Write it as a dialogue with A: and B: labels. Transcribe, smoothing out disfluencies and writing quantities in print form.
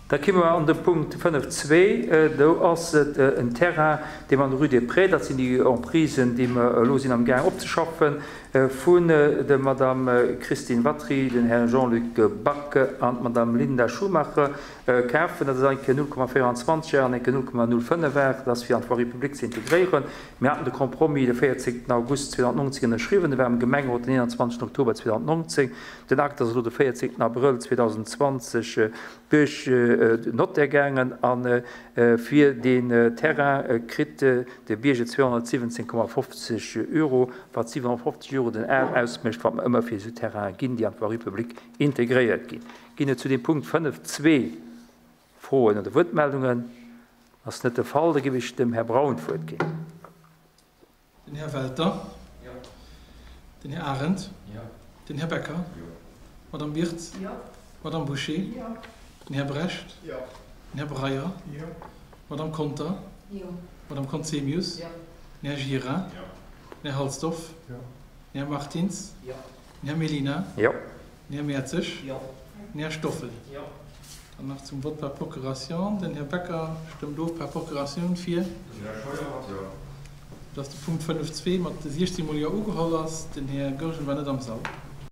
A: Da ki mer an de Punkt 5.2. Do ass et en Terrain, dee mer an der Rue des Prés, dat sinn déi Emprisen, déi mer elo sinn amgaang opzeschaffen, vun der Madame Christine Watry, den Här Jean-Luc Back an d'Madame Linda Schumacher kafen. Dat ass eng Kéier 0,24 Ar an eng Kéier 0,05 Ar. Dat ass fir an d'Voirie publique ze integréieren. Mir haten de Compromis de 14 August 2019 ënnerschriwwen. E war am Gemengerot den 21 Oktober 2019. Den Akt ass elo de 14 Abrëll 2020 duerch den Notaire gaangen a fir deen Terrain kritt de Bierger 217,50 Euro, wat 750 Euro den Ar ausmécht, wat mer ëmmer fir esou Terrainen ginn, déi an d'Voirie publique integréiert ginn. Ginn et zu deem Punkt 5 zwee Froen oder Wuertmeldungen? Ass net de Fall, da géif ech dem Här Braun d'Wuert ginn.
B: Den Här Welter. Jo. Den Här Arendt. Jo. Den Här Becker. Jo. D'Madame Birtz. Jo. D'Madame Bouché. Jo. Den Här Brecht. Jo. Den Här Breyer. Jo. D'Madame Conter. Jo. D'Madame Conzemius. Jo. Den Här Gira. Jo. Den Här Halsdorf. Jo. Den Här Martins. Jo. Den Här Mellina.
A: Jo.
B: Den Här Mertzig.
C: Jo.
B: Den Här Stoffel.
C: Jo.
B: Dann nach zum Vott par procuration. Den Här Becker stëmmt of par procuratioun fir.
D: Den Här Scheuer, jo.
B: Dass de Punkt 5.2 mat 16 mol Jo ugeholl ass. Den Här Goergen war net am Sall.